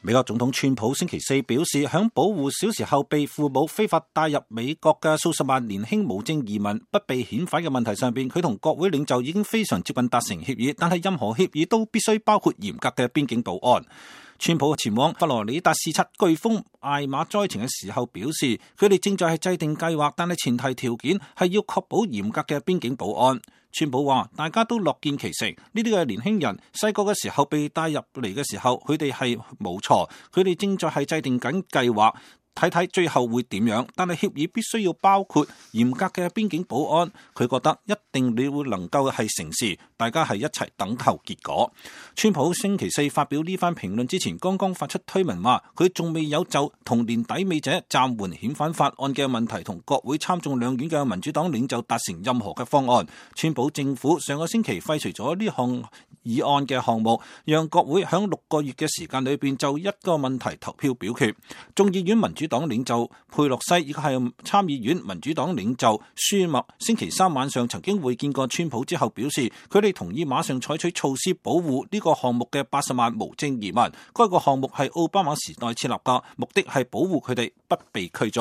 美國總統川普星期四表示，響保護小時候被父母非法帶入美國嘅數十萬年輕無證移民不被遣返嘅問題上邊，佢同國會領袖已經非常接近達成協議，但係任何協議都必須包括嚴格嘅邊境保安。川普前往佛羅里達視察颶風艾瑪災情嘅時候表示，佢哋正在制定計劃，但係前提條件係要確保嚴格嘅邊境保安。川普話：大家都樂見其成，呢啲嘅年輕人細個嘅時候被帶入嚟嘅時候，佢哋係冇錯，佢哋正在係制定緊計劃。睇睇最後會點樣，但係協議必須要包括嚴格嘅邊境保安。佢覺得一定你會能夠係成事，大家係一齊等候結果。川普星期四發表呢番評論之前，剛剛發出推文話，佢仲未有就同年底尾者暫緩遣返法案嘅問題同國會參眾兩院嘅民主黨領袖達成任何嘅方案。川普政府上個星期廢除咗呢項議案嘅項目，讓國會響6個月嘅時間裏邊就一個問題投票表決。眾議院民主黨領袖佩洛西以及係參議院民主黨領袖舒默星期三晚上曾經會見過川普之後表示，佢哋同意馬上採取措施保護呢個項目嘅80萬無證移民。該個項目係奧巴馬時代設立嘅，目的係保護佢哋不被驅逐。